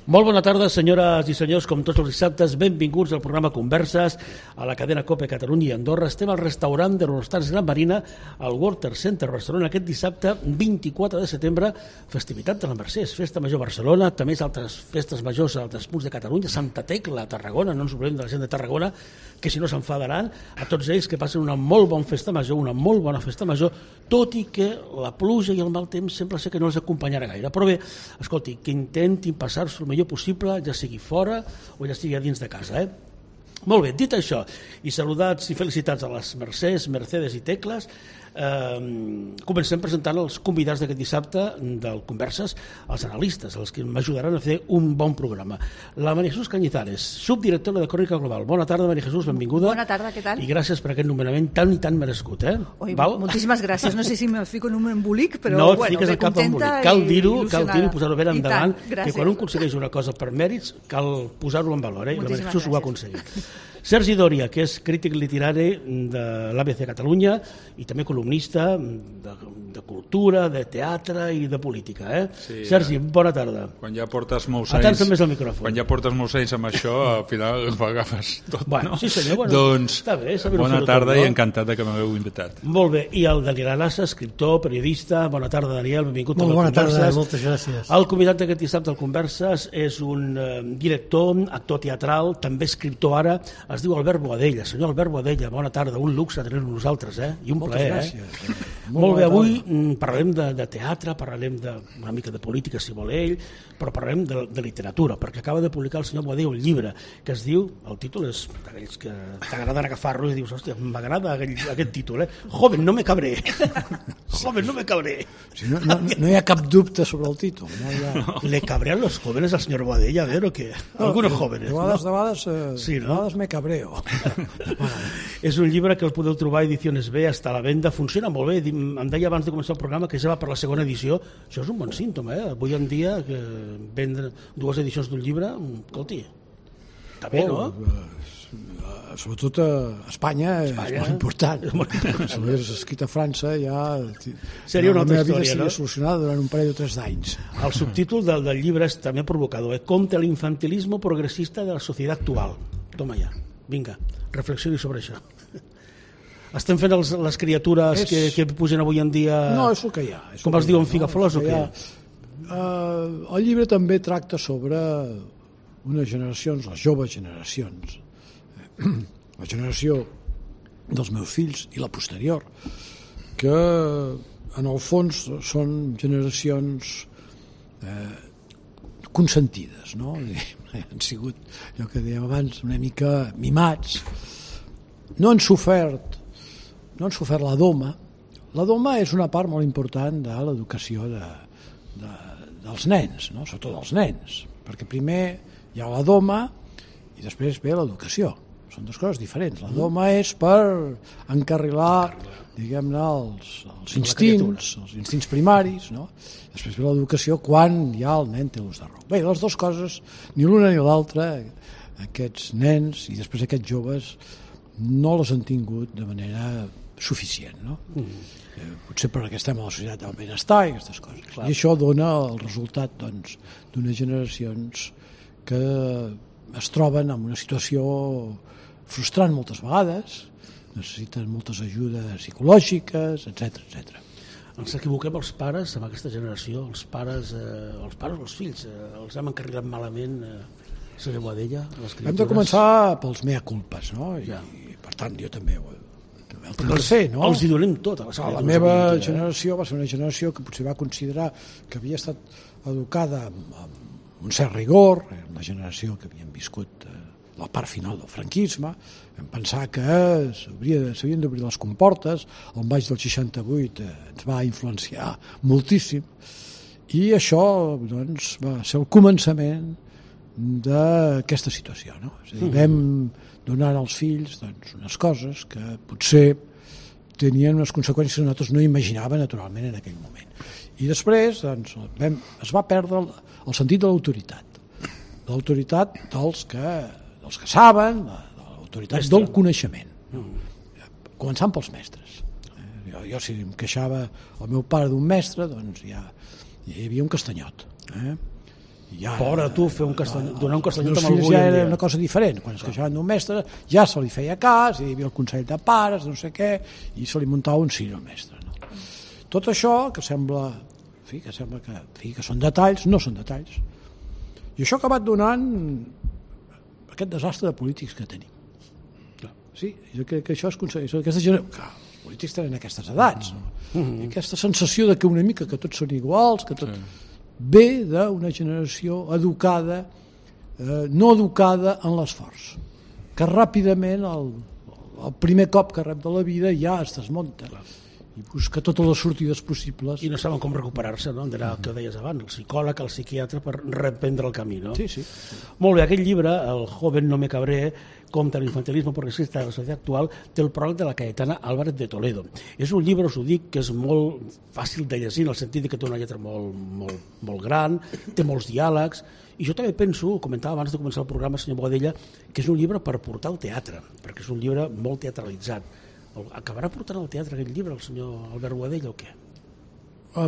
Molt bona tarda, senyores i senyors, com tots els dissabtes, benvinguts al programa Converses a la cadena COPE Catalunya i Andorra. Estem al restaurant de Rostars Gran Marina, al Water Center Restaurant, aquest dissabte 24 de setembre, festivitat de la Mercès, Festa Major Barcelona, també altres festes majors a altres punts de Catalunya, Santa Tecla, Tarragona, no ens oblidem de la gent de Tarragona, que si no s'enfadaran, a tots ells que passen una molt bona festa major, una molt bona festa major, tot i que la pluja i el mal temps sembla ser que no els acompanyarà gaire. Però bé, escolti, que intentin passar-s'ho el millor possible, ja sigui fora o ja sigui a dins de casa. Molt bé, dit això, i saludats i felicitats a les Mercès, Mercedes i Tecles, comencem presentant els convidats d'aquest dissabte del Converses, els analistes, els que m'ajudaran a fer un bon programa. La María Jesús Cañizares, subdirectora de Crónica Global. Bona tarda, María Jesús, benvinguda. Bona tarda, què tal? I gràcies per aquest nomenament tan i tan merescut. Moltíssimes gràcies. No sé si me fico en un embolic, però no, bueno, fiques bé, cap contenta cal i dir-ho, il·lusionada. Posar-ho ben endavant, que quan un gràcies. aconsegueix una cosa per mèrits, cal posar-ho en valor, i la María Jesús ho ha gràcies. aconseguit. Sergi Doria, que és crític literari de l'ABC Catalunya i també columnista de cultura, de teatre i de política. Sí, Sergi, bona tarda. Quan ja portes molts anys... Atens més al micròfon. Quan ja portes molts anys amb això, al final agafes tot, bueno, no? Sí, senyor, bueno, doncs, està bé, bona tarda tot, no? I encantat que m'hagueu invitat. Molt bé, i el Daniel Alassa, escriptor, periodista. Bona tarda, Daniel, benvingut a les Converses. Molt bona tarda, moltes gràcies. El convidat d'aquest dissabte al Converses és un director, actor teatral, també escriptor ara, es diu Albert Boadella. Senyor Albert Boadella, bona tarda, un luxe tenir-lo nosaltres, i un moltes plaer. Gràcies. Molt bé, avui parlarem de teatre, parlarem una mica de política, si vol ell, però parlarem de literatura, perquè acaba de publicar el senyor Boadella un llibre que es diu, el títol és d'aquells que t'agraden agafar-lo i dius, hòstia, m'agrada aquest títol, Joven, no me cabré. Joven, no me cabré. Sí, no hi ha cap dubte sobre el títol. ¿Le cabrean los jóvenes al señor Boadella? A ver, ¿o qué? Algunos jóvenes. De vegades, sí, no? De vegades me cabreo. És un llibre que el podeu trobar a Ediciones B, està a la venda, funciona molt bé. Em deia abans de començar el programa que ja va per la segona edició. Això és un bon símptoma, Avui en dia que vendre 2 edicions d'un llibre, escolti, està bé, no? Sobretot a Espanya és molt important. Si l'hagués escrit a França ja... Seria una altra història, no? La meva vida seria solucionada durant un parell o 3 d'anys. El subtítol del llibre és també provocador, Contra el infantilismo progresista de la societat actual. Toma ja, vinga, reflexioni sobre això. Estem fent les criatures que pugen avui en dia... No, és el que hi ha. Com es diuen, figaflors o què? El llibre també tracta sobre unes generacions, les joves generacions, la generació dels meus fills i la posterior, que en el fons són generacions consentides, no? Han sigut, allò que dèiem abans, una mica mimats, no han sofert la doma. La doma és una part molt important de l'educació dels nens, no? Sobretot dels nens, perquè primer hi ha la doma i després ve l'educació. Són dues coses diferents. La doma és per encarrilar, diguem-ne, els instints primaris, no? Després ve l'educació quan ja el nen té l'ús de raó. Bé, les dues coses, ni l'una ni l'altra, aquests nens i després aquests joves no les han tingut de manera suficient, no? Potser perquè estem a la societat del benestar i aquestes coses. Clar. I això dona el resultat, doncs, d'unes generacions que es troben en una situació frustrant moltes vegades, necessiten moltes ajudes psicològiques, etc. Ens equivoquem els pares amb aquesta generació, els pares o els fills, els hem encarrilat malament, senyor Boadella, les criatures. Hem de començar pels mea culpes, no? I per tant jo també ho tinc de fer, no? Els hi donem tot a les criatures. La meva generació va ser una generació que potser va considerar que havia estat educada amb un cert rigor, una generació que havien viscut la part final del franquisme, vam pensar que s'havien d'obrir les comportes, el maig del 68 ens va influenciar moltíssim, i això doncs, va ser el començament d'aquesta situació, no? És a dir, vam donar als fills doncs, unes coses que potser tenien unes conseqüències que nosaltres no imaginàvem naturalment en aquell moment. I després doncs, es va perdre el sentit de l'autoritat dels que saben, l'autoritat del coneixement, començant pels mestres. Jo si em queixava el meu pare d'un mestre, doncs ja hi havia un castanyot, Pobra tu, donar un castanyot amb fills algú ja en era dia. una cosa diferent. Quan es queixaven d'un mestre ja se li feia cas, hi havia el consell de pares, no sé què, i se li muntava un ciri al mestre. No? Tot això, que sembla que són detalls, no són detalls. I això ha acabat donant aquest desastre de polítics que tenim. Sí, jo crec que això és conseqüència d'aquesta generació. Els polítics tenen aquestes edats. I aquesta sensació de que una mica que tots són iguals, que tot... ve d'una generació educada, no educada en l'esforç, que ràpidament el primer cop que rep de la vida ja es desmunta i busca totes les sortides possibles I no saben com recuperar-se, no? D'anar, que deies abans, el psicòleg, el psiquiatre, per reprendre el camí, no? Sí. Molt bé, aquell llibre, El joven no me cabré, contra l'infantilisme progressista de la societat actual, té el pròleg de la Cayetana Álvarez de Toledo. És un llibre, us ho dic, que és molt fàcil de llegir, en el sentit que té una lletra molt gran, té molts diàlegs, i jo també penso, comentava abans de començar el programa, senyor Boadella, que és un llibre per portar al teatre, perquè és un llibre molt teatralitzat. Acabarà portant al teatre aquest llibre el senyor Albert Boadella o què?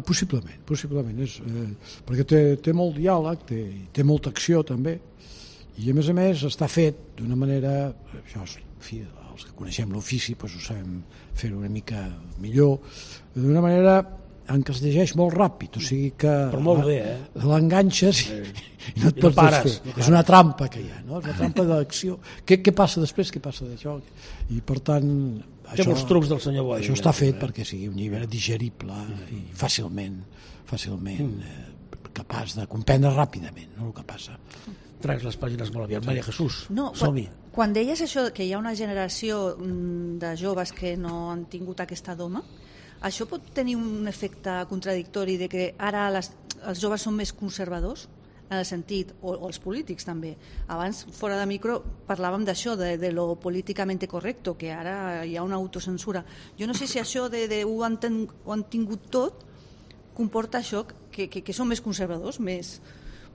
Possiblement. Perquè té molt diàleg, té molta acció també, i a més està fet d'una manera, això és, en fi, els que coneixem l'ofici doncs ho sabem fer-ho una mica millor, d'una manera en què es llegeix molt ràpid, o sigui que però molt bé, l'enganxes i no et pots desfer. És una trampa que hi ha, no? És una trampa d'acció. Què passa després, què passa d'això? I per tant té molts trucs del senyor Boadella. Això està fet perquè sigui un llibre digerible i fàcilment capaç de comprendre ràpidament el que passa. Tragues les pàgines molt aviat. Maria Jesús, No, som-hi. quan deies això, que hi ha una generació de joves que no han tingut aquesta doma, això pot tenir un efecte contradictori de que ara els joves són més conservadors, en el sentit, o els polítics també. Abans, fora de micro, parlàvem d'això, de lo políticament correcto, que ara hi ha una autocensura. Jo no sé si això ho han tingut tot, comporta això, que són més conservadors, més,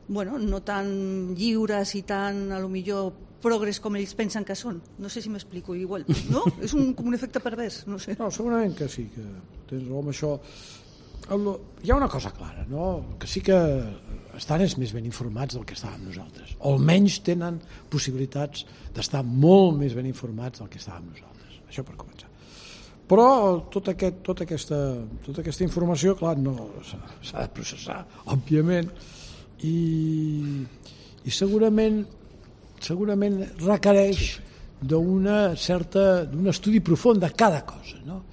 bueno, no tan lliures i tan, a lo millor, progres com ells pensen que són. No sé si m'explico igual. No? És com un efecte pervers, no sé. No, segurament que sí, que tens raó amb això. Hi ha una cosa clara, no? Que sí que estan més ben informats del que estàvem nosaltres. O almenys tenen possibilitats d'estar molt més ben informats del que estàvem nosaltres. Això per començar. Però tota aquesta informació, clar, no s'ha de processar, òbviament, i segurament requereix d'un estudi profund de cada cosa, no?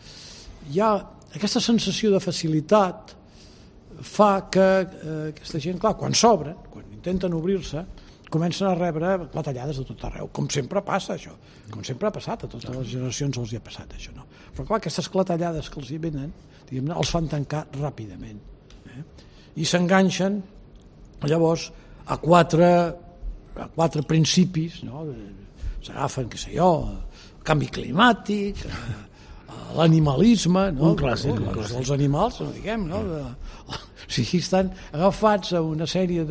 Hi ha aquesta sensació de facilitat fa que aquesta gent, clar, quan s'obren, quan intenten obrir-se, comencen a rebre clatellades de tot arreu, com sempre passa això, com sempre ha passat, a totes les generacions els hi ha passat això, no? Però clar, aquestes clatellades que els hi venen, diguem-ne, els fan tancar ràpidament, i s'enganxen llavors a quatre principis, no? S'agafen, què sé jo, el canvi climàtic, l'animalisme, no? Un clàssic. Els animals, no diguem, no? O sigui, estan agafats a una sèrie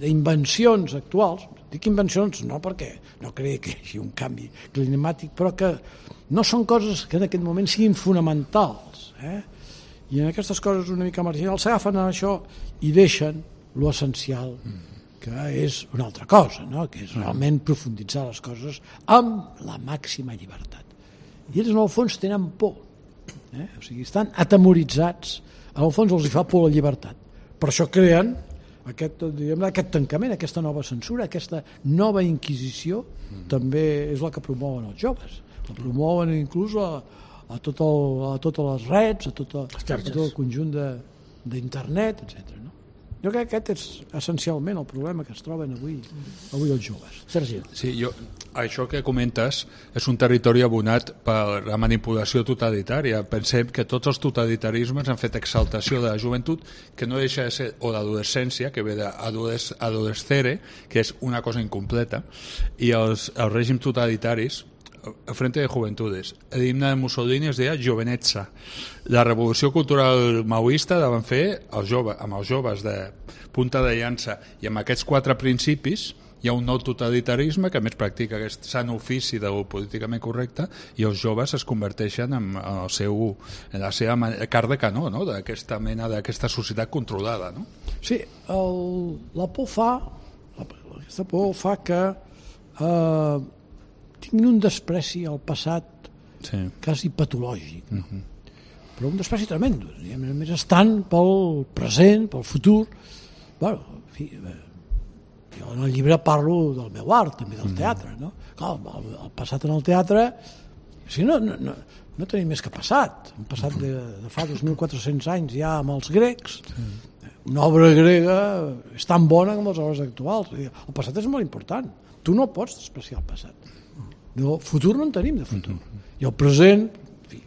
d'invencions actuals. Dic invencions no perquè no crec que hi hagi un canvi climàtic, però que no són coses que en aquest moment siguin fonamentals, i en aquestes coses una mica marginals s'agafen a això i deixen lo essencial, que és una altra cosa, no? Que és realment profunditzar les coses amb la màxima llibertat. I ells en el fons tenen por, o sigui, estan atemoritzats, en el fons els hi fa por la llibertat. Per això creen aquest tancament, aquesta nova censura, aquesta nova inquisició, també és la que promouen els joves. La promouen inclús a totes les reds, a tot el conjunt d'internet, etc. No? Jo crec que aquest és essencialment el problema que es troben avui els joves. Sergi. Sí, això que comentes és un territori abonat per la manipulació totalitària. Pensem que tots els totalitarismes han fet exaltació de la joventut, que no deixa de ser, o d'adolescència, que ve d'adolescere, que és una cosa incompleta, i els règims totalitaris, el Frente de Juventudes. L'himne de Mussolini es deia Jovenezza. La revolució cultural maoista la van fer amb els joves de punta de llança, i amb aquests 4 principis hi ha un nou totalitarisme que a més practica aquest sant ofici del políticament correcte i els joves es converteixen en la seva carn de canó, no? D'aquesta mena, d'aquesta societat controlada, no? Sí, la por aquesta por fa que tingui un despreci al passat quasi patològic, no? Però un despreci tremendo, a més estan pel present, pel futur. Bueno, en fi, jo en el llibre parlo del meu art, també del teatre, no? Clar, el passat en el teatre, si no tenim més que passat, un passat de fa 2.400 anys ja amb els grecs. Una obra grega és tan bona com les obres actuals. El passat és molt important. Tu no pots despreciar el passat. El futur no en tenim de futur. I el present, en fi,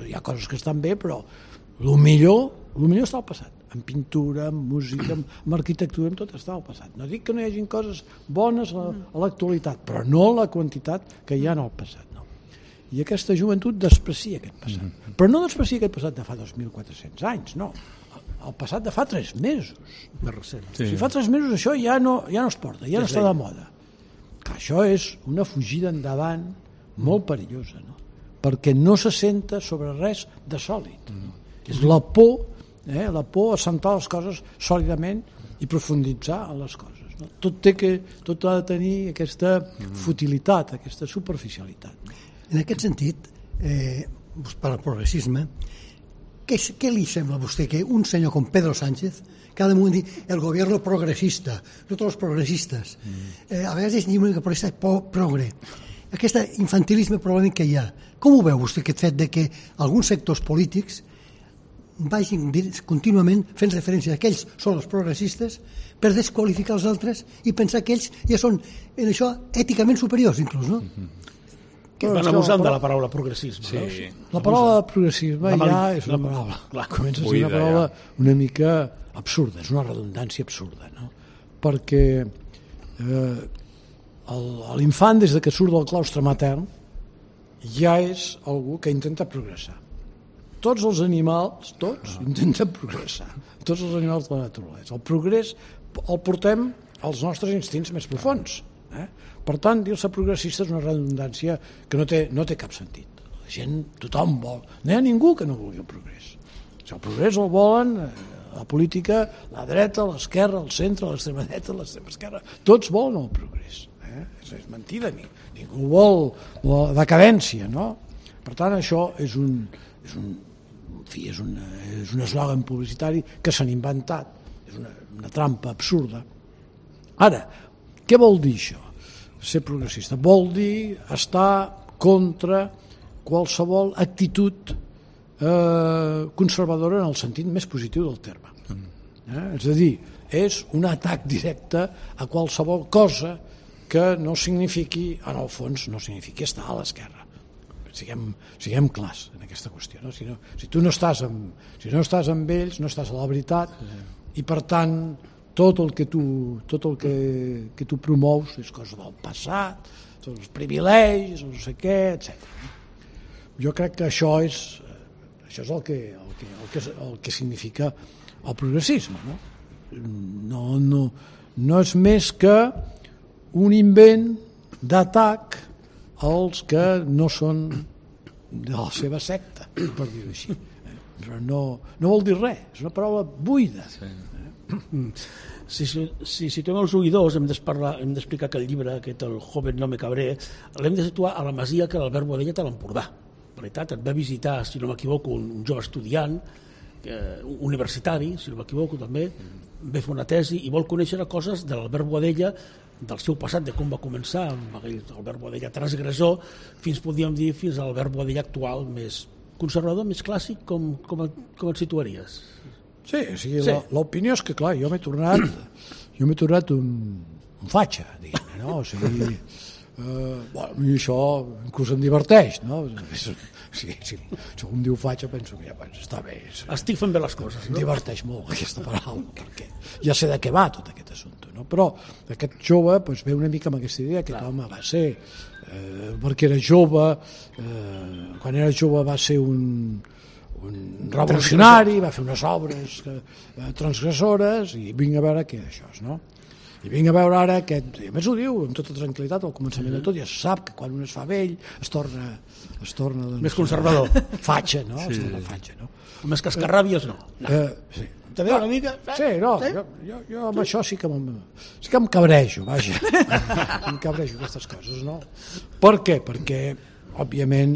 hi ha coses que estan bé, però el millor està al passat. En pintura, en música, en arquitectura, en tot està al passat. No dic que no hi hagi coses bones a l'actualitat, però no la quantitat que hi ha en el passat. No. I aquesta joventut desprecia aquest passat. Però no desprecia aquest passat de fa 2.400 anys, no. El passat de fa 3 mesos. Més recent. Si fa 3 mesos això ja no es porta, ja no està de moda. Que això és una fugida endavant molt perillosa, no? Perquè no se senta sobre res de sòlid. És la por a assentar les coses sòlidament i profunditzar en les coses. No? Tot ha de tenir aquesta futilitat, aquesta superficialitat. En aquest sentit, per al progressisme, què li sembla a vostè que un senyor com Pedro Sánchez cada moment dir el govern progressista, tots els progressistes, a vegades diuen que progressista és progre, aquest infantilisme probablement que hi ha. Com ho veu vostè aquest fet de que alguns sectors polítics vagin contínuament fent referència a que ells són els progressistes per desqualificar els altres i pensar que ells ja són en això èticament superiors inclús, no? Que van abusant de la paraula progressisme. Sí. La paraula progressisme ja és una paraula. Comença a ser una paraula una mica absurda, és una redundància absurda, no? Perquè l'infant, des que surt del claustre matern, ja és algú que intenta progressar. Tots els animals, intenten progressar. Tots els animals de la naturalesa. El progrés el portem als nostres instints més profuns. Per tant, dir-se progressista és una redundància que no té cap sentit. La gent, tothom vol. No hi ha ningú que no vulgui el progrés. Si el progrés el volen, la política, la dreta, l'esquerra, el centre, l'extrema dreta, l'extrema esquerra, tots volen el progrés. És mentida, ningú vol la decadència, no? Per tant, això és un eslògan publicitari que s'han inventat, és una trampa absurda. Ara, què vol dir això? Ser progressista vol dir estar contra qualsevol actitud conservadora en el sentit més positiu del terme. És a dir, és un atac directe a qualsevol cosa que no signifiqui, en el fons, no signifiqui estar a l'esquerra. Siguem clars en aquesta qüestió. No? Si tu no estàs amb ells, no estàs a la veritat, i per tant tot el que tu promous és cosa del passat, tots els privilegis, no sé què, etc. Jo crec que això és el que significa el progressisme. No és més que un invent d'atac als que no són de la seva secta, per dir-ho així. Però no vol dir res, és una paraula buida. Si situem els oïdors, hem d'explicar que el llibre, aquest El joven no me cabré, l'hem de situar a la masia que l'Albert Boadella té a l'Empordà. En veritat, et va visitar, si no m'equivoco, un jove estudiant, universitari, si no m'equivoco també, va fer una tesi i vol conèixer coses de l'Albert Boadella, del seu passat, de com va començar amb l'Albert Boadella transgressor, podríem dir, fins a l'Albert Boadella actual, més conservador, més clàssic, com et situaries? Sí, l'opinió és que, clar, jo m'he tornat un fatxa, diguem-ne, no? O sigui, i això inclús em diverteix, no? Si un diu fatxa penso que ja està bé. Estic fent bé les coses, no? Em diverteix molt aquesta paraula, perquè ja sé de què va tot aquest assumpte, no? Però aquest jove ve una mica amb aquesta idea, aquest home va ser, perquè era jove, quan era jove va ser un revolucionari, va fer unes obres transgressores i vinc a veure què és això, no? I vinc a veure ara aquest... I a més ho diu amb tota tranquil·litat al començament de tot, ja se sap que quan un es fa vell es torna doncs, més conservador. Fatxa, no? Es torna fatxa, no? Més cascarràbies, no. Sí. També una mica... Sí, no, jo amb això sí que em cabrejo, vaja. Em cabrejo aquestes coses, no? Per què? Perquè, òbviament,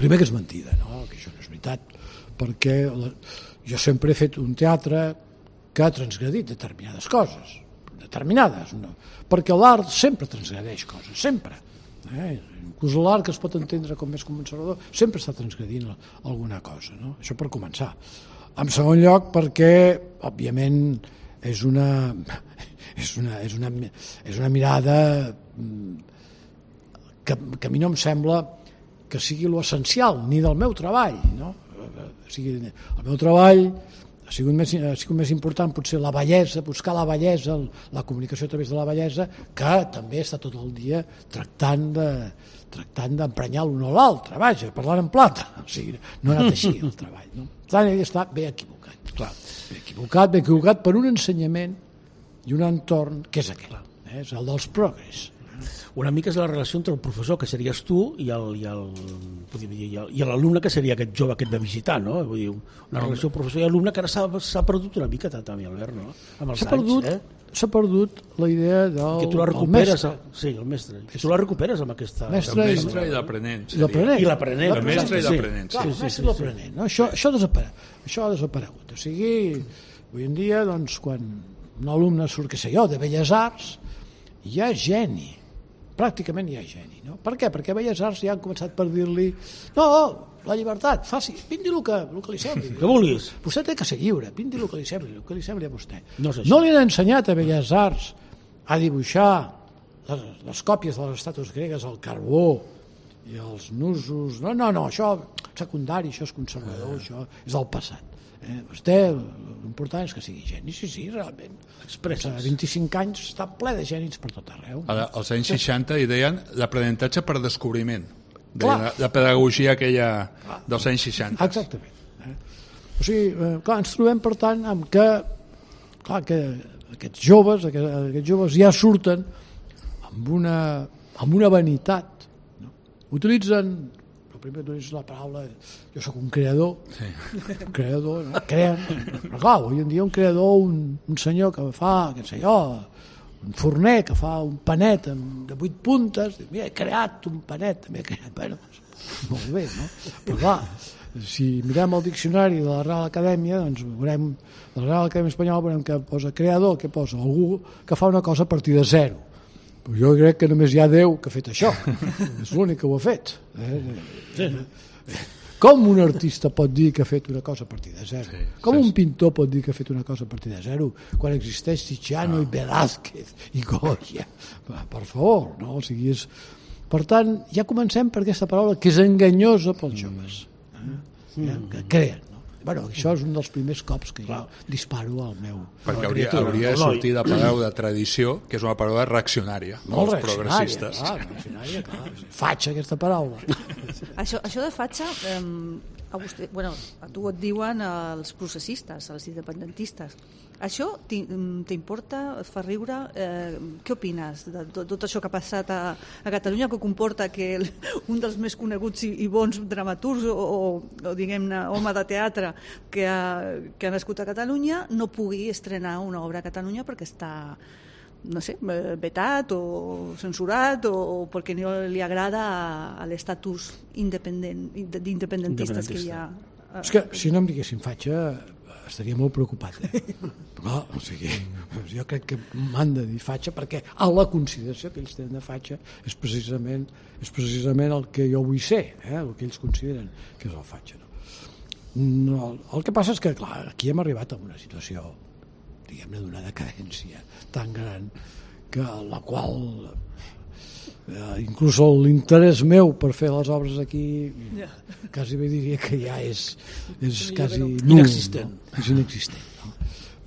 primer que és mentida, no? Que això no és veritat, perquè jo sempre he fet un teatre que ha transgredit determinades coses, no? Perquè l'art sempre transgredeix coses, sempre. Inclús l'art, que es pot entendre com més conservador, sempre està transgredint alguna cosa, no? Això per començar. En segon lloc, perquè, òbviament, és una mirada que a mi no em sembla que sigui l'essencial, ni del meu treball, no? O sigui, el meu treball ha sigut més important potser la bellesa, buscar la bellesa, la comunicació a través de la bellesa, que també està tot el dia tractant d'emprenyar l'un o l'altre, vaja, parlant en plata. O sigui, no ha anat així el treball, no? Per tant, ell està ben equivocat. Clar. Ben equivocat per un ensenyament i un entorn que és aquell, és el dels progres. Una mica és la relació entre el professor, que series tu, i l'alumne, que seria aquest jove aquest de visitar, no? Vull dir, una relació professor i alumne que ara s'ha perdut una mica també, Albert, no? Amb els anys, S'ha perdut la idea del que tu la recuperes, mestre. Sí, el mestre. Que tu la recuperes amb aquesta... El mestre i l'aprenent. I l'aprenent. El mestre i l'aprenent. El mestre i l'aprenent. Això ha desaparegut. O sigui, avui en dia, doncs, quan un alumne surt, què sé jo, de Belles Arts, hi ha geni. Pràcticament hi ha geni, no? Per què? Perquè a Belles Arts ja han començat per dir-li no, la llibertat, faci, vingui el que li sembli. Que vulguis. Vostè té que ser lliure, vingui el que li sembli a vostè. No li han ensenyat a Belles Arts a dibuixar les còpies de les estàtues gregues al carbó i els nusos. No, això és secundari, això és conservador, això és del passat. Vostè, l'important és que sigui geni. Sí, realment. A 25 anys està ple de genis per tot arreu. Als anys 60 hi deien l'aprenentatge per descobriment, la pedagogia aquella dels anys 60. Exactament. O sigui, ens trobem, per tant, amb que aquests joves ja surten amb una vanitat. Utilitzen primer utilitzen la paraula jo sóc un creador, no? Creen, però clar, avui en dia un creador, un senyor que fa, què sé jo, un forner que fa un panet de 8 puntes, mira, he creat un panet, bueno, molt bé, no? Però clar, si mirem el diccionari de la Real Acadèmia, doncs veurem, de la Real Acadèmia Espanyola veurem que posa creador, que posa algú que fa una cosa a partir de zero. Jo crec que només hi ha Déu que ha fet això. És l'únic que ho ha fet. Com un artista pot dir que ha fet una cosa a partir de zero? Com un pintor pot dir que ha fet una cosa a partir de zero quan existeix Tiziano i Velázquez i Goya? Per favor, no? O sigui, per tant, ja comencem per aquesta paraula que és enganyosa pels joves, que creen. Bueno, això és un dels primers cops que jo disparo al meu... Perquè hauria de sortir de paraula de tradició, que és una paraula reaccionària, molt dels progressistes. Reaccionària, clar. Fatxa, aquesta paraula. Això de fatxa, a tu et diuen els processistes, els independentistes. Això t'importa, et fa riure? Què opines de tot això que ha passat a Catalunya, que comporta que un dels més coneguts i bons dramaturgs o diguem-ne, home de teatre que ha nascut a Catalunya no pugui estrenar una obra a Catalunya perquè està, no sé, vetat o censurat o perquè no li agrada a l'estatus d'independentistes que hi ha? És que si no em diguessin fatxa estaria molt preocupat, Però, o sigui, jo crec que m'han de dir fatxa perquè a la consideració que ells tenen de fatxa és precisament el que jo vull ser, el que ells consideren que és el fatxa. No, el que passa és que, clar, aquí hem arribat a una situació, diguem-ne, d'una decadència tan gran que la qual inclús l'interès meu per fer les obres aquí quasi bé diria que ja és quasi inexistent. És inexistent, no?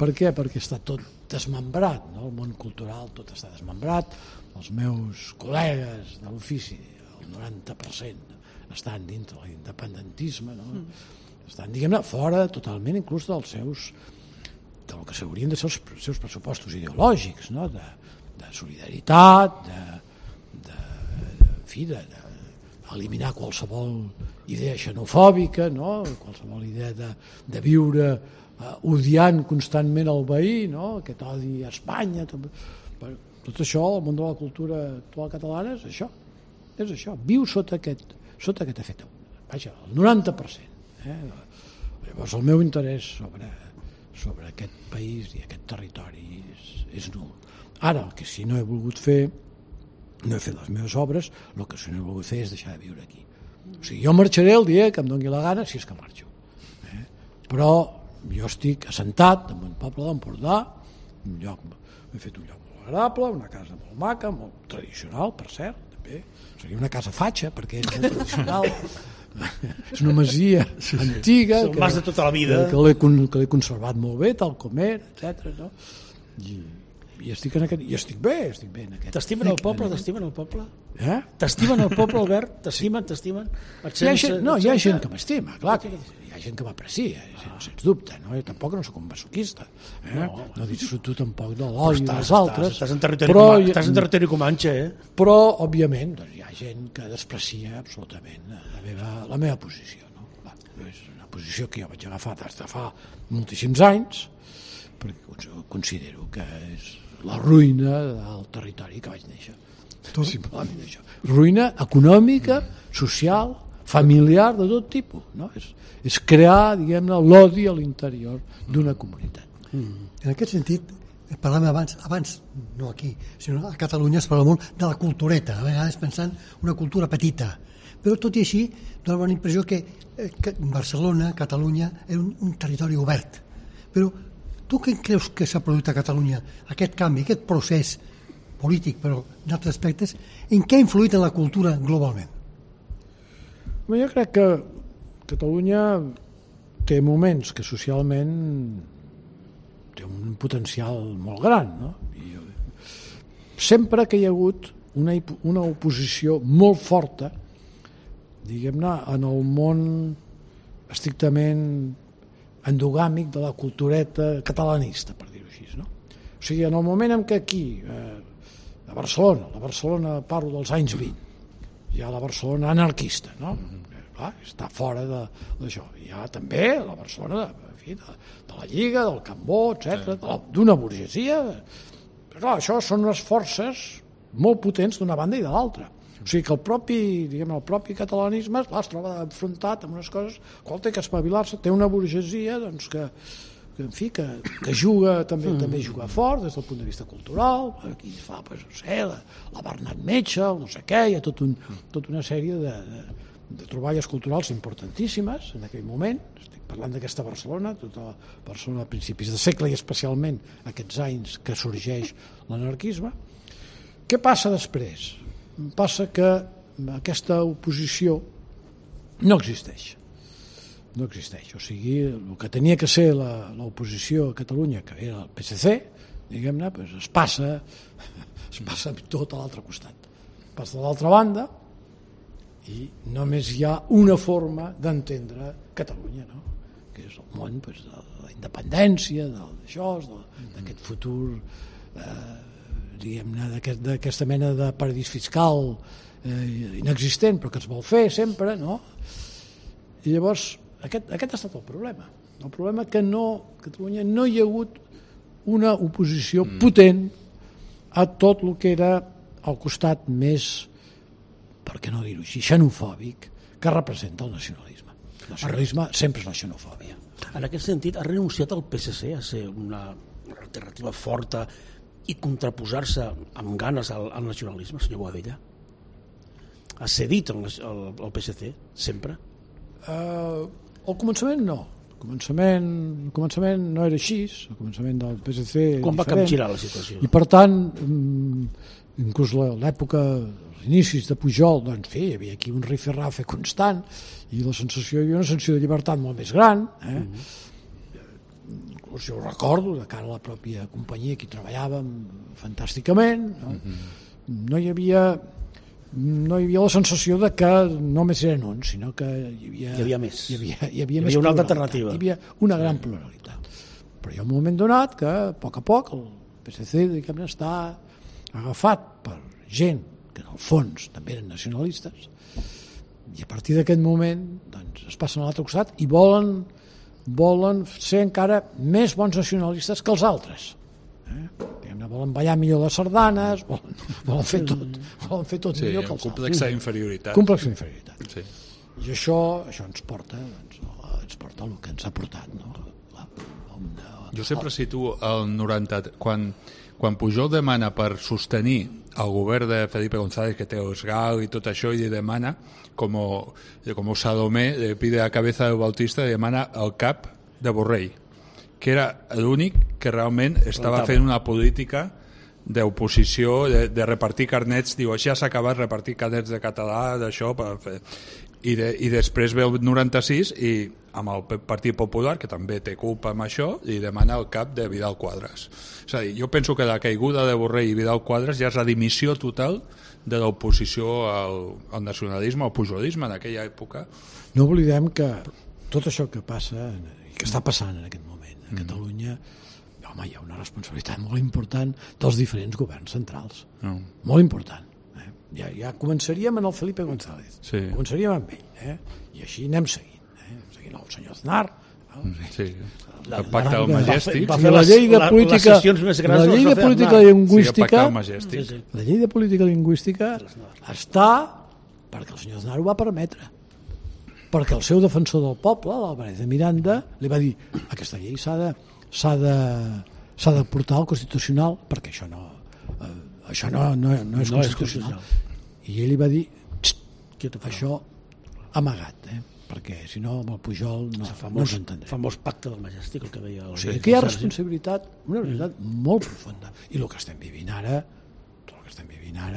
Per què? Perquè està tot desmembrat, no? El món cultural tot està desmembrat, els meus col·legues de l'ofici, el 90% estan dintre de l'independentisme, no? Estan, diguem-ne, fora totalment inclús dels del que s'haurien de ser els seus pressupostos ideològics, no? De solidaritat, d'eliminar qualsevol idea xenofòbica, no? Qualsevol idea de viure odiant constantment el veí, no? Aquest odi a Espanya. Tot això, el món de la cultura actual catalana és això, viu sota aquest efecte. Vaja, el 90%. Llavors el meu interès sobre aquest país i aquest territori és nul. Ara, el que si no he volgut fer, no he fet les meves obres, el que si no he volgut fer és deixar de viure aquí. O sigui, jo marxaré el dia que em doni la gana, si és que marxo. Però jo estic assentat en un poble d'Empordà, he fet un lloc molt agradable, una casa molt maca, molt tradicional, per cert, també. Seria una casa fatxa, perquè és molt tradicional. És una masia antiga. És el mas de tota la vida. Que l'he conservat molt bé, tal com era, etc. No? I estic bé en aquest. T'estimen el poble? T'estimen el poble? T'estimen el poble, Albert? T'estimen? Hi ha gent que m'estima, clar, hi ha gent que m'aprecia, sens dubte, no? Jo tampoc no soc un masoquista, no disfruto tampoc de l'odi dels altres. Estàs en territori comanxe, Però, òbviament, hi ha gent que desprecia absolutament la meva posició, no? És una posició que jo vaig agafar des de fa moltíssims anys, perquè considero que és la ruïna del territori que vaig néixer. Simplement això. Ruïna econòmica, social, familiar, de tot tipus. No? És crear, diguem-ne, l'odi a l'interior d'una comunitat. En aquest sentit, parlàvem abans, no aquí, sinó a Catalunya es parla molt de la cultureta, a vegades pensant una cultura petita. Però tot i així, dona una impressió que Barcelona, Catalunya, és un territori obert. Però tu què creus que s'ha produït a Catalunya, aquest canvi, aquest procés polític, però d'altres aspectes, en què ha influït en la cultura globalment? Jo crec que Catalunya té moments que socialment té un potencial molt gran, no? Sempre que hi ha hagut una oposició molt forta, diguem-ne, en el món estrictament endogàmic de la cultureta catalanista, per dir-ho així, no? O sigui, en el moment en què aquí, a Barcelona parlo dels anys 20, hi ha la Barcelona anarquista, no? Clar, està fora d'això. Hi ha també la Barcelona de la Lliga, del Cambó, etc., d'una burgesia. Però clar, això són unes forces molt potents d'una banda i de l'altra. O sigui que el propi catalanisme es troba enfrontat amb unes coses qual té que espavilar-se, té una burgesia doncs, que juga també juga fort des del punt de vista cultural, aquí es fa la Bernat Metge, no sé què, hi ha tota una sèrie de troballes culturals importantíssimes en aquell moment. Estic parlant d'aquesta Barcelona, tota la Barcelona a principis de segle i especialment aquests anys que sorgeix l'anarquisme. Què passa després? Passa que aquesta oposició no existeix. O sigui, el que tenia que ser l'oposició a Catalunya, que era el PSC, diguem-ne, es passa tot a l'altre costat. Passa a l'altra banda i només hi ha una forma d'entendre Catalunya, no? Que és el món de la independència, d'això, d'aquest futur diguem-ne, d'aquesta mena de paradís fiscal inexistent, però que es vol fer sempre, no? I llavors, aquest ha estat el problema. El problema que a Catalunya no hi ha hagut una oposició potent a tot el que era el costat més, per què no dir-ho així, xenofòbic, que representa el nacionalisme. El nacionalisme sempre és la xenofòbia. En aquest sentit, ha renunciat el PSC a ser una alternativa forta i contraposar-se amb ganes al nacionalisme, senyor Boadella? Ha cedit el PSC, sempre? Al començament no. Al començament no era així, al començament del PSC com va capgirar la situació? I per tant, inclús l'època, els inicis de Pujol, doncs hi havia aquí un rifirrafe constant i la sensació, hi havia una sensació de llibertat molt més gran, inclús jo ho recordo, de cara a la pròpia companyia que hi treballàvem fantàsticament, no hi havia la sensació de que només eren uns, sinó que hi havia més. Hi havia una altra alternativa. Hi havia una gran pluralitat. Però hi ha un moment donat que, a poc, el PSC està agafat per gent que en el fons també eren nacionalistes, i a partir d'aquest moment doncs, es passen a l'altre costat i volen ser encara més bons nacionalistes que els altres. Volen ballar millor les sardanes, volen fer tot sí, millor que els altres. Complex d'inferioritat. Complex d'inferioritat. Sí. I això ens porta el que ens ha portat. No? Jo sempre situo el 90... Quan Pujol demana per sostenir el govern de Felipe González, que té Osgal i tot això, i li demana, com Salomé, le pide a cabeza del Bautista, li demana el cap de Borrell, que era l'únic que realment estava fent una política d'oposició, de repartir carnets, diu, ja s'ha acabat repartir carnets de català, d'això, per fer... I després ve el 96 i amb el Partit Popular, que també té culpa amb això, i demana el cap de Vidal Quadras. És a dir, jo penso que la caiguda de Borrell i Vidal Quadras ja és la dimissió total de l'oposició al nacionalisme, al pujolisme en aquella època. No oblidem que tot això que passa i que està passant en aquest moment a Catalunya, home, hi ha una responsabilitat molt important dels diferents governs centrals. Molt important. Ja començaríem en el Felipe González, començaríem amb ell, i així anem seguint el senyor Aznar, el pacte del Majestic, va fer les sessions més grans, la llei de política lingüística, la llei de política lingüística està perquè el senyor Aznar ho va permetre, perquè el seu defensor del poble, l'Álvarez de Miranda, li va dir aquesta llei s'ha de portar al Constitucional perquè això no és constitucional. I ell li va dir això amagat, perquè si no amb el Pujol no ens entendrem. Famós pacte del Majestic, el que deia el... O sigui que hi ha responsabilitat, una responsabilitat molt profunda, i el que estem vivint ara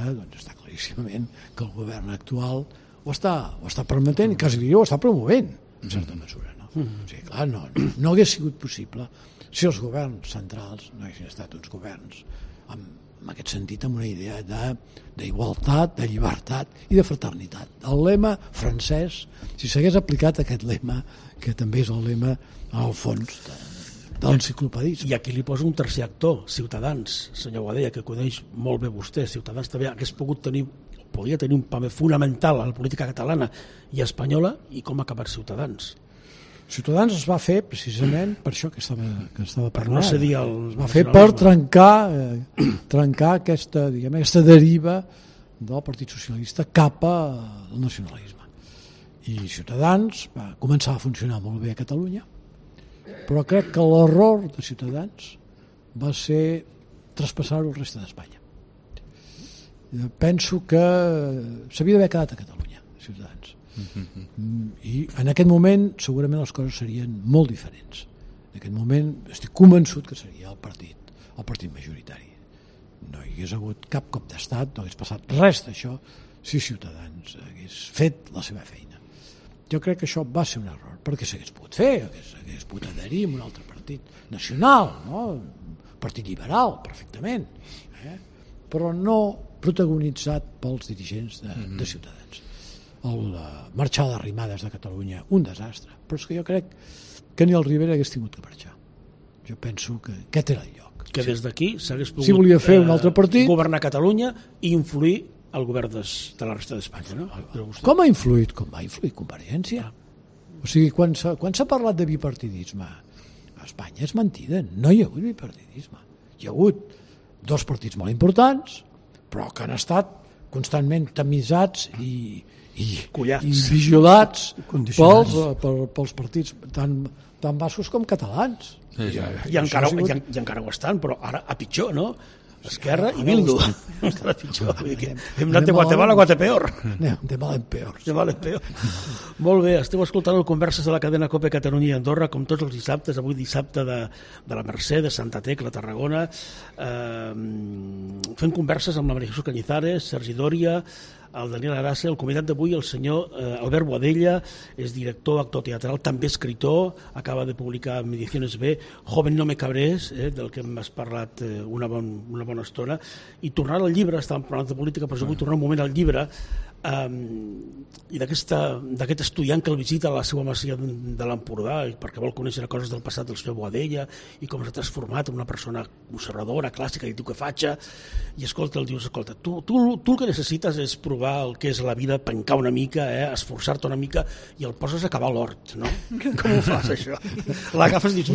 doncs està claríssimament que el govern actual ho està permetent i quasi diria ho està promovent en certa mesura, no? O sigui, clar, no hagués sigut possible si els governs centrals no haguessin estat uns governs amb aquest sentit, amb una idea d'igualtat, de llibertat i de fraternitat. El lema francès, si s'hagués aplicat aquest lema, que també és el lema, al fons, de l'enciclopedisme. I aquí li posa un tercer actor, Ciutadans, senyor Boadella, que coneix molt bé vostè. Ciutadans també podria tenir un paper fonamental a la política catalana i espanyola, i com ha acabat Ciutadans? Ciutadans es va fer precisament per això que estava parlant. No cedir al es va fer per trencar aquesta deriva del Partit Socialista cap al nacionalisme. I Ciutadans va començar a funcionar molt bé a Catalunya, però crec que l'error de Ciutadans va ser traspassar-ho al resta d'Espanya. Penso que s'havia d'haver quedat a Catalunya, Ciutadans. I en aquest moment segurament les coses serien molt diferents. En aquest moment estic convençut que seria el partit majoritari. No hi hagués hagut cap cop d'estat, no hagués passat res d'això si Ciutadans hagués fet la seva feina. Jo crec que això va ser un error, perquè s'hagués pogut fer, hagués pogut adherir a un altre partit nacional, no? Un partit liberal, perfectament, però no protagonitzat pels dirigents de Ciutadans. El marxar d'arrimades de Catalunya, un desastre, però és que jo crec que ni el Rivera hagués tingut que marxar. Jo penso que aquest era el lloc. Que des d'aquí s'hagués pogut volia fer un altre partit, governar Catalunya i influir al govern de la resta d'Espanya. No? Com ha influït? Com va influir Convergència? O sigui, quan s'ha parlat de bipartidisme a Espanya és mentida, no hi ha hagut bipartidisme. Hi ha hagut dos partits molt importants, però que han estat constantment tamisats i vigilats pels partits tan bascos com catalans. I encara ho estan, però ara a pitjor, no? Esquerra i Bildu. Encara pitjor. Hem anat de Guatemala a Guatepeor. De mal en peor. Molt bé, esteu escoltant el Converses de la cadena COPE Catalunya i Andorra, com tots els dissabtes, avui dissabte de la Mercè, de Santa Tecla, Tarragona, fent converses amb la Maria Jesús Cañizares, Sergi Dòria, el Daniel Arasa. El convidat d'avui, el senyor Albert Boadella, és director, actor teatral, també escritor, acaba de publicar en Ediciones B Joven no me cabrés, del que hem parlat una bona estona, i tornar al llibre, estàvem parlant de política, però jo vull tornar un moment al llibre, i d'aquest estudiant que el visita a la seva masia de l'Empordà perquè vol conèixer coses del passat del senyor Boadella i com s'ha transformat en una persona conservadora, clàssica, i diu que fatxa, i escolta, el dius, escolta, tu el que necessites és provar el que és la vida, pencar una mica, esforçar-te una mica, i el poses a cavar l'hort, no? Com ho fas, això? L'agafes i dius,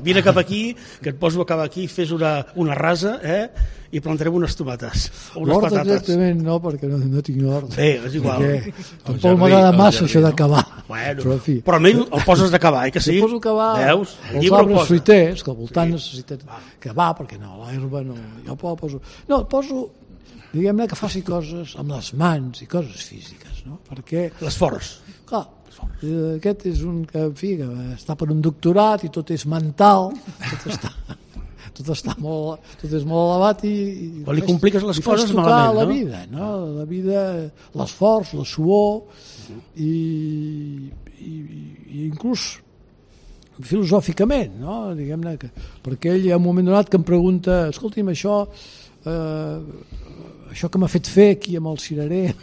vine cap aquí, que et poso a cavar aquí, fes una rasa, i plantarem unes tomates o unes l'hort patates. Exactament no, perquè no tinc hort. Bé, és igual. Tampoc m'agrada massa això d'acabar. Bueno, però almenys el poses d'acabar, que sí? El poso a cavar. Veus? Els arbres fruiters, que al voltant necessiten cavar, perquè no, l'herba no... Jo poso... No, poso, diguem-ne, que faci coses amb les mans i coses físiques, no? Perquè... L'esforç. Clar, aquest és un que, en fi, que està per un doctorat i tot és mental, tot és molt elevat i però li compliques les coses malament, no? La vida, no? La vida, l'esforç, la suor i inclús filosòficament, no? Diguem-ne que, perquè ell hi ha un moment donat que em pregunta, escolti'm, això que m'ha fet fer aquí amb el cirerer,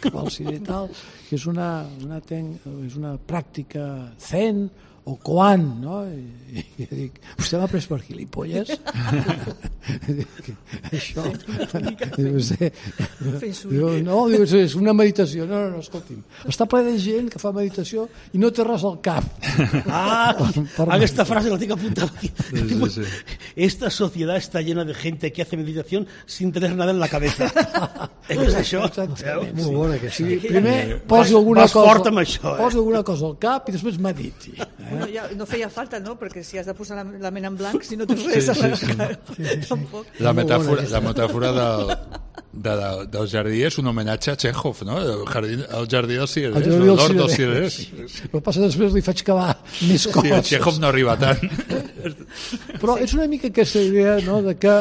tal, que és una pràctica zen o koan, no? I dic, vostè m'ha pres per gilipolles? Això... No, és una meditació. No, escolti'm. Està ple de gent que fa meditació i no té res al cap. Aquesta frase la tinc apuntada aquí. Sí. Esta sociedad está llena de gente que hace meditación sin tener nada en la cabeza. És això? Molt bona aquesta. Primer posi alguna cosa al cap i després mediti. Bueno, ja no feia falta, no? Perquè si has de posar la ment en blanc, si no tens res a la cara, tampoc. La metàfora del jardí és un homenatge a Chekhov, no? El jardí dels cirerers, l'hort dels cirerers. Però passa després li faig cavar més coses. Sí, Chekhov no arriba tant. Però és una mica aquesta idea, no?, de que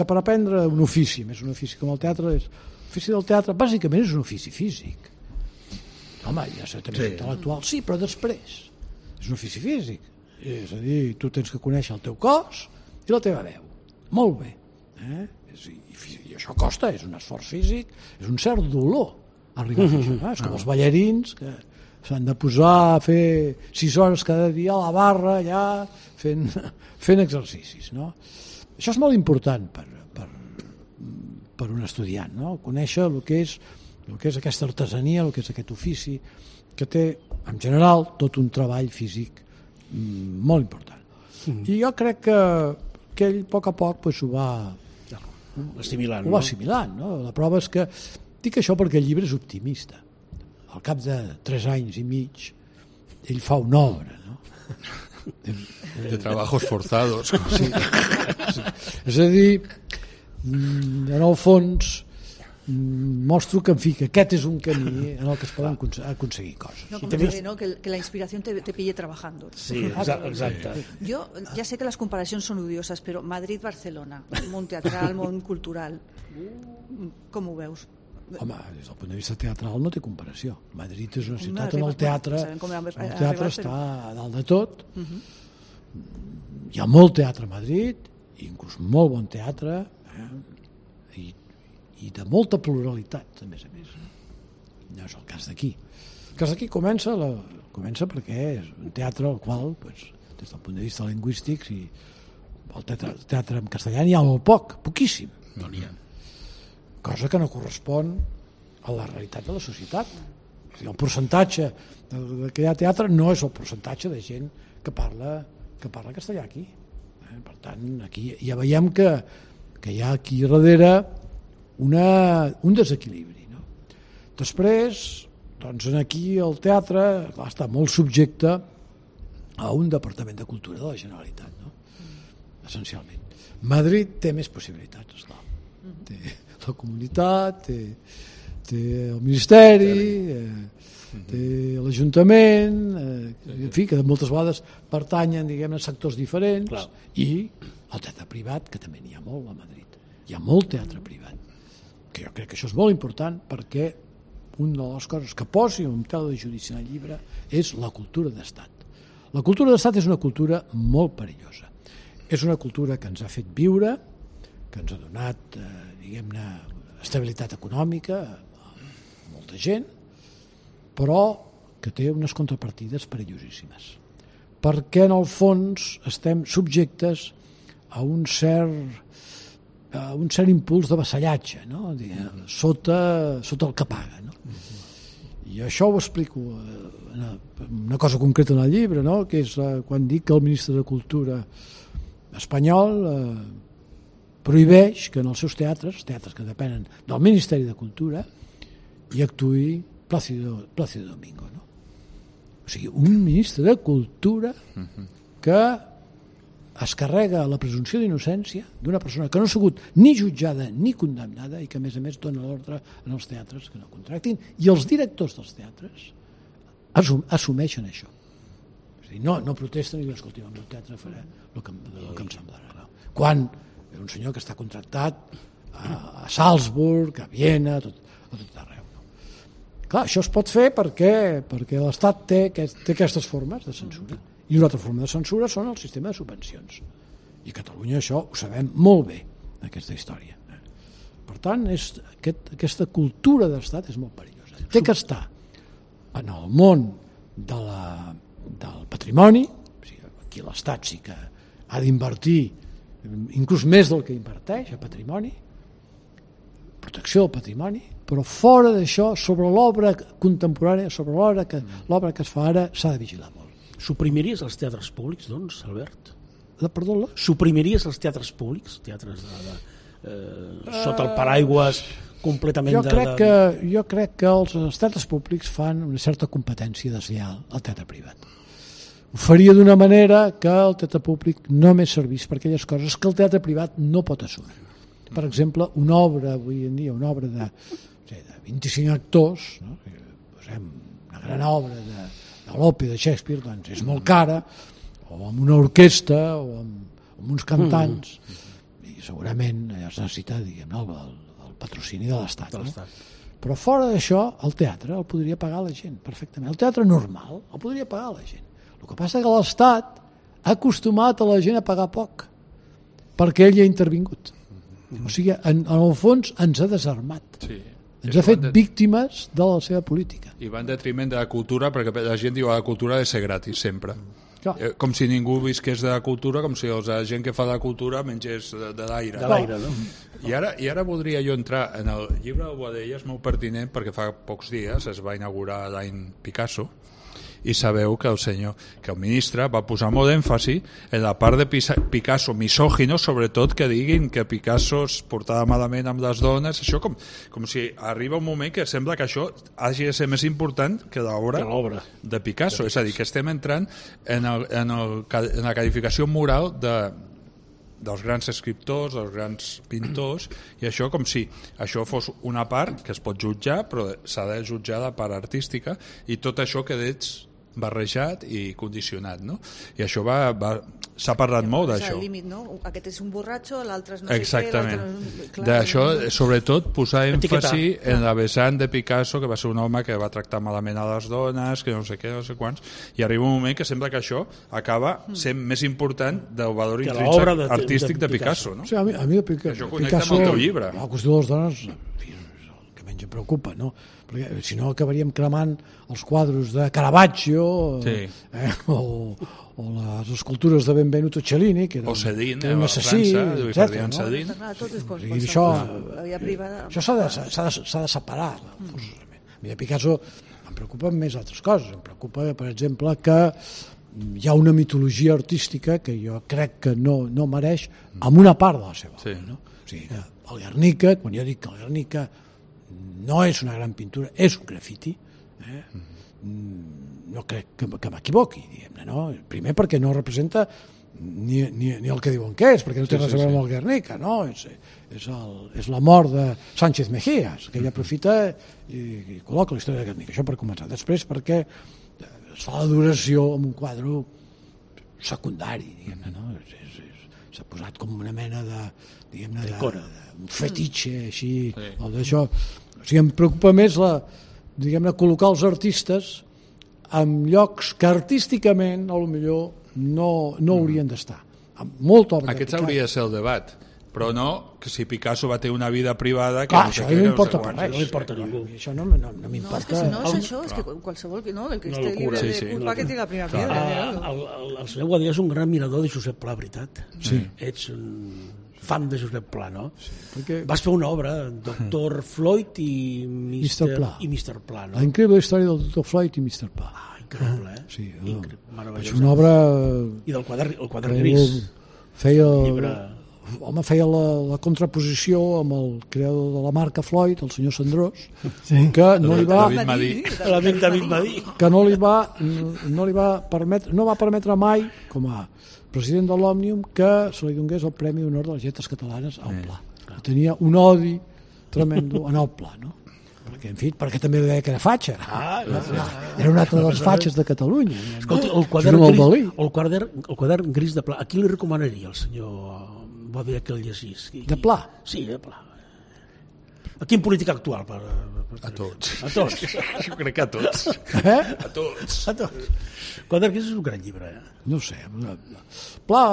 per aprendre un ofici, més un ofici com el teatre, l'ofici del teatre bàsicament és un ofici físic. Home, ja sé, també és intel·lectual, sí, però després és un ofici físic. És a dir, tu tens que conèixer el teu cos i la teva veu. Molt bé. I això costa, és un esforç físic, és un cert dolor arribar a fer això. És com els ballarins que s'han de posar a fer 6 hores cada dia a la barra allà fent exercicis, no? Això és molt important per un estudiant, no? Conèixer el que és aquesta artesania, el que és aquest ofici, que té, en general, tot un treball físic molt important. I jo crec que ell, a poc a poc, ho va assimilant. No? La prova és que dic això perquè el llibre és optimista. Al cap de 3 anys i mig, ell fa una obra, no? De trabajos forzados. Sí. És a dir, en el fons, mostro que, en fi, que aquest és un camí en el que es poden aconseguir coses. No, como dice, ¿no? Que la inspiración te pille trabajando. Sí, exacte. Yo ya sé que las comparaciones son odiosas, pero Madrid-Barcelona, món teatral, món cultural, com ho veus? Home, des del punt de vista teatral no té comparació. Madrid és una ciutat on el teatre està a dalt de tot. Hi ha molt teatre a Madrid, inclús molt bon teatre, i de molta pluralitat, a més. No és el cas d'aquí. El cas d'aquí comença perquè és un teatre al qual, des del punt de vista lingüístic, el teatre en castellà n'hi ha molt poquíssim. No n'hi ha. Cosa que no correspon a la realitat de la societat. El percentatge que hi ha teatre no és el percentatge de gent que parla castellà aquí. Per tant, aquí ja veiem que hi ha aquí darrere un desequilibri. No? Després, doncs aquí el teatre està molt subjecte a un departament de cultura de la Generalitat, no? Essencialment. Madrid té més possibilitats, esclar. Té la comunitat, té el Ministeri, té l'Ajuntament, en fi, que moltes vegades pertanyen, diguem, a sectors diferents, i el teatre privat, que també n'hi ha molt a Madrid. Hi ha molt teatre privat. que jo crec que això és molt important, perquè una de les coses que posi en tela de judici en el llibre és la cultura d'estat. La cultura d'estat és una cultura molt perillosa. És una cultura que ens ha fet viure, que ens ha donat, diguem-ne, estabilitat econòmica a molta gent, però que té unes contrapartides perillosíssimes. Perquè en el fons estem subjectes a un cert impuls de vassallatge, no? Sota el que paga, no? I això ho explico una cosa concreta en el llibre, no? Que és quan dic que el ministre de Cultura espanyol prohibeix que en els seus teatres que depenen del Ministeri de Cultura, hi actuï Plácido Domingo, no? O sigui, un ministre de Cultura que es carrega la presumpció d'innocència d'una persona que no ha sigut ni jutjada ni condemnada i que a més dona l'ordre en els teatres que no contractin, i els directors dels teatres assumeixen això. És a dir, no protesten i diuen, escolti, en el teatre faré el que em semblarà. No? Quan un senyor que està contractat a Salzburg, a Viena, a tot arreu. No? Clar, això es pot fer perquè l'Estat té aquestes formes de censura. I una altra forma de censura són el sistema de subvencions. I a Catalunya això ho sabem molt bé, aquesta història. Per tant, aquesta cultura d'estat és molt perillosa. Té que estar en el món del patrimoni, o sigui, aquí l'Estat sí que ha d'invertir inclús més del que inverteix a patrimoni, protecció del patrimoni, però fora d'això, sobre l'obra contemporània, sobre l'obra que es fa ara, s'ha de vigilar molt. Suprimiries els teatres públics, doncs, Albert? Perdó? Suprimiries els teatres públics? Teatres sota el paraigües completament Jo crec que els teatres públics fan una certa competència deslleial al teatre privat. Ho faria d'una manera que el teatre públic només servís per aquelles coses que el teatre privat no pot assumir. Per exemple, una obra, avui en dia, una obra de 25 actors, no? Una gran obra de l'Opè de Shakespeare, doncs és molt cara, o amb una orquestra, o amb uns cantants, i segurament es necessita, diguem-ne, el patrocini de l'Estat. No? Però fora d'això, el teatre el podria pagar la gent, perfectament. El teatre normal el podria pagar la gent. El que passa és que l'Estat ha acostumat a la gent a pagar poc, perquè ell hi ha intervingut. O sigui, en el fons ens ha desarmat. Sí. Ens ha fet víctimes de la seva política. I va en detriment de la cultura, perquè la gent diu que la cultura ha de ser gratis, sempre. Com si ningú visqués de la cultura, com si la gent que fa la cultura mengés de l'aire. De l'aire, no? I ara voldria jo entrar en el llibre del Boadella, és molt pertinent, perquè fa pocs dies es va inaugurar l'any Picasso, i sabeu que el ministre va posar molt èmfasi en la part de Picasso misògino, sobretot que diguin que Picasso es portava malament amb les dones, això com si arriba un moment que sembla que això hagi de ser més important que l'obra de Picasso, és a dir, que estem entrant en la qualificació moral dels grans escriptors, dels grans pintors, i això com si això fos una part que es pot jutjar, però s'ha de jutjar la part artística, i tot això quedés barrejat i condicionat, no? I això s'ha parlat molt d'això. El límit, no? Aquest és un borratxo, l'altre és no sé què... Exactament. D'això, sobretot, posar èmfasi en la vessant de Picasso, que va ser un home que va tractar malament a les dones, que no sé què, no sé quants, i arriba un moment que sembla que això acaba sent més important del valor intrínsec artístic de Picasso, no? Sí, a mi de Picasso... Això connecta amb el teu llibre. La qüestió de les dones és el que menys em preocupa, no? Perquè si no acabaríem cremant els quadros de Caravaggio, o les escultures de Benvenuto Cellini, que era un assassí, etc. Això s'ha de separar. A mi de Picasso em preocupen més altres coses. Em preocupa, per exemple, que hi ha una mitologia artística que jo crec que no mereix amb una part de la seva obra. No? O sigui, el Guernica, quan jo dic que el Guernica no és una gran pintura, és un grafiti, no crec que m'equivoqui, diguem-ne, no? Primer perquè no representa ni el que diuen que és, perquè no té res a veure amb el Guernica, no? És la mort de Sánchez Mejías, que ella aprofita i col·loca la història de Guernica. Això per començar. Després perquè es fa l'adoració amb un quadre secundari, diguem-ne, no? s'ha posat com una mena de, diguem-ne, un fetitxe, així, d'això. O sigui, em preocupa més diguem-ne, col·locar els artistes en llocs que artísticament, potser no haurien d'estar. Amb molta obra. Aquest hauria de ser el debat, però no que si Picasso va tenir una vida privada... Clar, això no m'importa per res. No m'importa ningú. Això no m'importa. No, és això, és que qualsevol que no, el que esté llibre de culpa que tira la primera piedra. El senyor Guadella és un gran mirador de Josep Pla, veritat. Sí. Ets un fan de Josep Pla, no? Sí, perquè... Vas fer una obra, Dr. Floyd i Mr. Pla. I Mr. Pla, no? La increïble història del Dr. Floyd i Mr. Pla. Increïble, eh? Sí, meravellós. És una obra... I del quadern gris. Feia la contraposició amb el creador de la marca Floyd, el senyor Sandrós, que no li va... L'amic David Madí. Que no va permetre mai, com a president de l'Òmnium, que se li donés el Premi d'Honor de les Lletres Catalanes al Pla. Tenia un odi tremendo en el Pla, no? Perquè, en fi, perquè també deia que era fatxa. Era un altre dels fatxes de Catalunya. Escolta, el quadern gris de Pla, a qui li recomanaria el senyor Boadella que el llegís? De Pla? Sí, de Pla. A quin polític actual? A tots. A tots. Jo crec que a tots. A tots. A tots. Quadern gris és un gran llibre. No sé. Pla,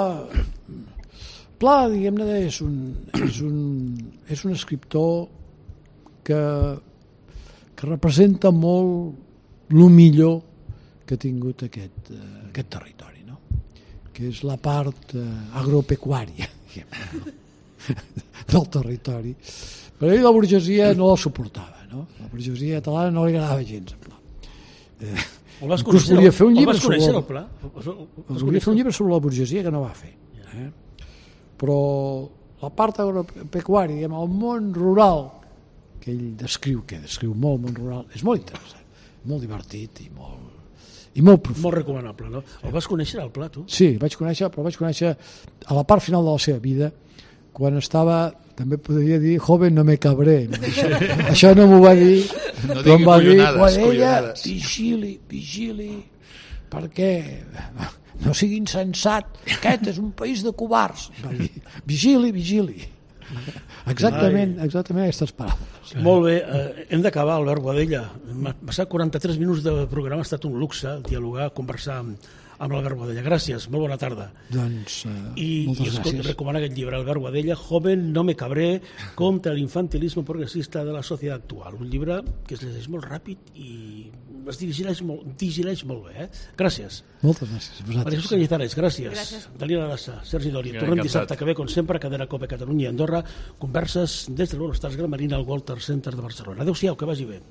diguem-ne, és un escriptor que representa molt el millor que ha tingut aquest territori, no? Que és la part agropecuària del territori. Per ell la burgesia no la suportava, no? La burgesia catalana no li agradava gens. Volia fer un llibre sobre la burgesia que no va fer. Però la part agropecuària, el món rural, que ell descriu molt el món rural, és molt interessant, molt divertit i molt profund. Molt recomanable, no? El vas conèixer al Pla, tu? Sí, vaig conèixer a la part final de la seva vida, quan estava, també podria dir, joven no me cabré. Això no m'ho va dir, però em va dir, Guadella, vigili, perquè no sigui insensat, aquest és un país de covards. Vigili. Exactament aquestes paraules. Molt bé, hem d'acabar, Albert Guadella. Passar 43 minuts de programa ha estat un luxe, dialogar, conversar amb l'Albert Guadella. Gràcies, molt bona tarda. Doncs, moltes gràcies. Recomana aquest llibre, Albert Guadella, Joven, no me cabré, contra l'infantilisme progressista de la societat actual. Un llibre que es llegeix molt ràpid i es digereix molt bé. Gràcies. Moltes gràcies. Maria Jesús Cañizares, gràcies. Dalila Lassa, Sergi Dori. Tornem dissabte que ve, com sempre, a Cadena Cope Catalunya i Andorra. Converses des de l'Horostars Gran Marina al Walter Center de Barcelona. Adéu-siau, que vagi bé.